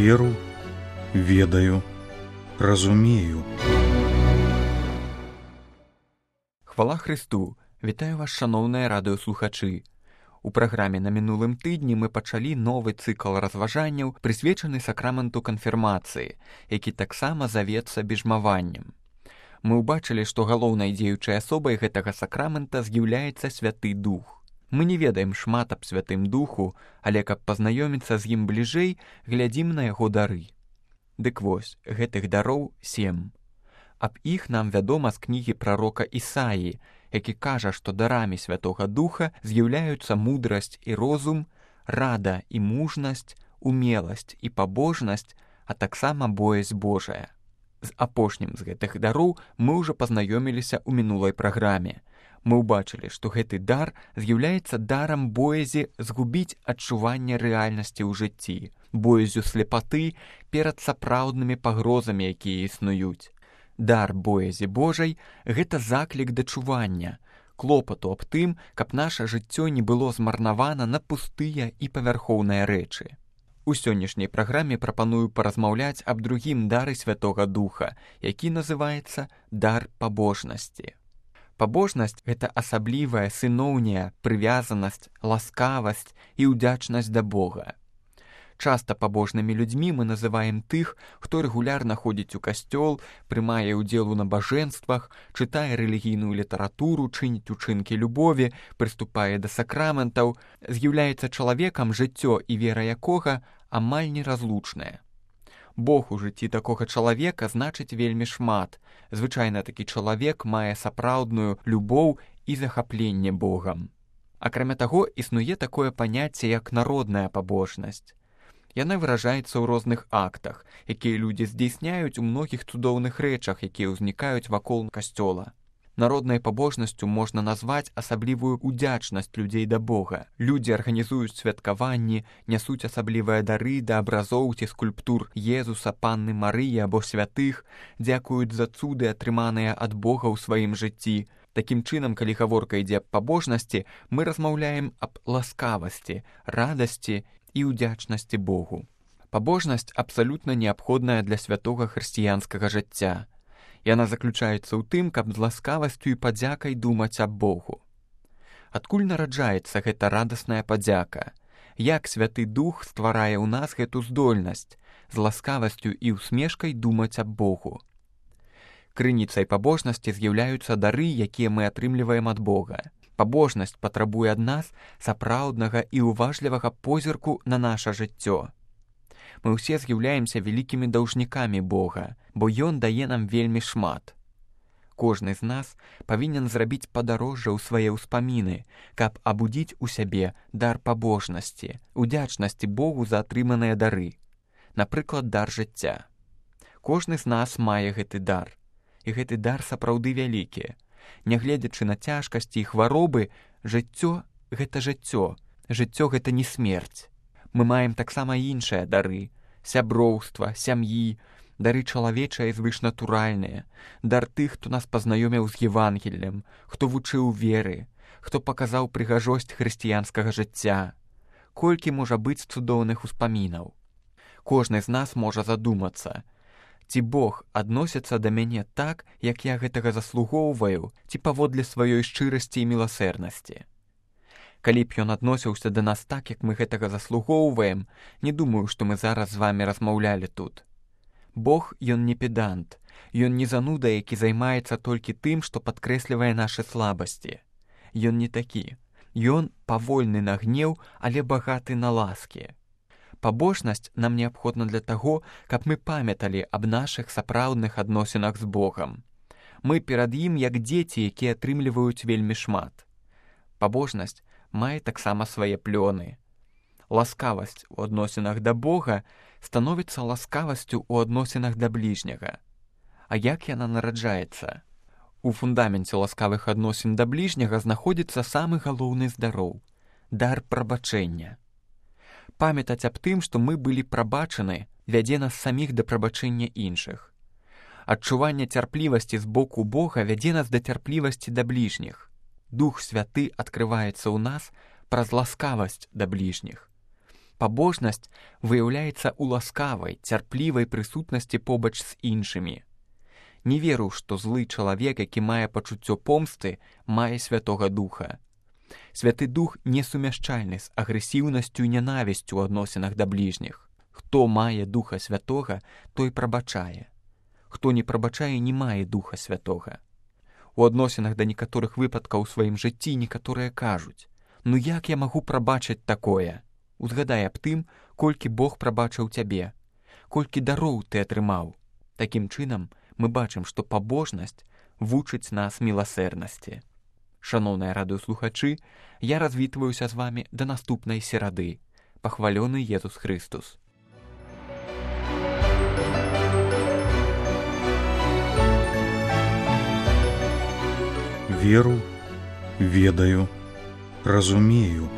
веру, ведаю, разумею. Хвала Христу! Вітаю вас, шаноўныя радыёслухачы! У праграме на мінулым тыдні мы пачалі новы цыкл разважанняў, прысвечаны сакраменту канфірмацыі, які таксама завецца бежмаваннем. Мы ўбачылі, што галоўнай дзеючай асобай гэтага сакрамента з'яўляецца Святы Дух. Мы не ведаем шмат аб Святым Духу, але каб пазнаёміцца з ім бліжэй, глядзім на яго дары. Дык вось, гэтых дароў 7. Аб іх нам вядома з кнігі прарока Ісаі, які кажа, што дарамі Святога Духа з'яўляюцца мудрасць і розум, рада і мужнасць, умеласць і пабожнасць, а таксама боязь Божая. З апошнім з гэтых дароў мы ўжо пазнаёміліся ў мінулай праграме. Мы ўбачылі, што гэты дар з'яўляецца дарам боязі згубіць адчуванне рэальнасці ў жыцці, боязю слепаты перад сапраўднымі пагрозамі, якія існуюць. Дар боязі Божай – гэта заклік да чування, клопату аб тым, каб наша жыццё не было змарнавана на пустыя і павярхоўныя рэчы. У сённяшняй праграме прапаную паразмаўляць аб другім дары Святога Духа, які называецца дар пабожнасці. Пабожнасць – гэта асаблівая сыноўняя прывязанасць, ласкавасць і ўдзячнасць да Бога. Часта пабожнымі людзьмі мы называем тых, хто рэгулярна ходзіць у касцёл, прымае ўдзел у набажэнствах, чытае рэлігійную літаратуру, чыніць учынкі любові, прыступае да сакраментаў, з'яўляецца чалавекам, жыццё і вера якога амаль неразлучныя. Бог у жыцці такога чалавека значыць вельмі шмат. Звычайна такі чалавек мае сапраўдную любоў і захапленне Богам. Акрамя таго, існуе такое паняцце, як народная пабожнасць. Яна выражаецца ў розных актах, якія людзі здзейсняюць у многіх цудоўных рэчах, якія ўзнікаюць вакол касцёла. Народнай пабожнасцю можна назваць асаблівую ўдзячнасць людзей да Бога. Людзі арганізуюць святкаванні, нясуць асаблівыя дары да абразоў ці скульптур Езуса, Панны Марыі або святых, дзякуюць за цуды, атрыманыя ад Бога ў сваім жыцці. Такім чынам, калі гаворка ідзе аб пабожнасці, мы размаўляем аб ласкавасці, радасці і ўдзячнасці Богу. Пабожнасць абсалютна неабходная для святога хрысціянскага жыцця. Яна заключаецца ў тым, каб з ласкавасцю і падзякай думаць аб Богу. Адкуль нараджаецца гэта радасная падзяка? Як Святы Дух стварае ў нас гэту здольнасць з ласкавасцю і усмешкай думаць аб Богу? Крыніцай пабожнасці з'яўляюцца дары, якія мы атрымліваем ад Бога. Пабожнасць патрабуе ад нас сапраўднага і уважлівага позірку на наша жыццё. Мы ўсе з'яўляемся вялікімі даўжнікамі Бога, бо Ён дае нам вельмі шмат. Кожны з нас павінен зрабіць падарожжа ў свае ўспаміны, каб абудзіць у сябе дар пабожнасці, удзячнасці Богу за атрыманыя дары. Напрыклад, дар жыцця. Кожны з нас мае гэты дар. І гэты дар сапраўды вялікі. Нягледзячы на цяжкасці і хваробы, жыццё – гэта жыццё. Жыццё – гэта не смерць. Мы маем таксама іншыя дары – сяброўства, сям'і, дары чалавечыя і звышнатуральныя, дар тых, хто нас пазнаёміў з Евангеллем, хто вучыў веры, хто паказаў прыгажосць хрысціянскага жыцця. Колькі можа быць цудоўных успамінаў. Кожны з нас можа задумацца, ці Бог адносіцца да мяне так, як я гэтага заслугоўваю, ці паводле сваёй шчырасці і міласэрнасці. Калі б ён адносіўся да нас так, як мы гэтага заслугоўваем, не думаю, што мы зараз з вамі размаўлялі тут. Бог, ён не педант, ён не зануда, які займаецца толькі тым, што падкрэслівае нашы слабасці. Ён не такі. Ён павольны на гнеў, але багаты на ласкі. Пабожнасць нам неабходна для таго, каб мы памяталі аб нашых сапраўдных адносінах з Богам. Мы перад ім як дзеці, якія атрымліваюць вельмі шмат. Пабожнасць мае таксама свае плёны. Ласкавасць у адносінах да Бога становіцца ласкавасцю ў адносінах да бліжняга. А як яна нараджаецца? У фундаменце ласкавых адносін да бліжняга знаходзіцца самы галоўны з дароў – дар прабачэння. Памятаць аб тым, што мы былі прабачаны, вядзе нас саміх да прабачэння іншых. Адчуванне цярплівасці з боку Бога вядзе нас да цярплівасці да бліжніх. Дух Святы адкрываецца ў нас праз ласкавасць да бліжніх. Пабожнасць выяўляецца ў ласкавай, цярплівай прысутнасці побач з іншымі. Не веру, што злы чалавек, які мае пачуццё помсты, мае Святога Духа. Святы Дух несумяшчальны з агрэсіўнасцю і нянавісцю ў адносінах да бліжніх. Хто мае Духа Святога, той прабачае. Хто не прабачае, не мае Духа Святога. У адносінах да некаторых выпадкаў у сваім жыцці некаторыя кажуць: «Ну як я магу прабачыць такое?» Узгадай аб тым, колькі Бог прабачыў цябе, колькі дароў ты атрымаў. Такім чынам, мы бачым, што пабожнасць вучыць нас міласэрнасці. Шаноўныя радыёслухачы, я развітваюся з вамі да наступнай серады. Пахвалёны Езус Хрыстус! Веру, ведаю, разумею.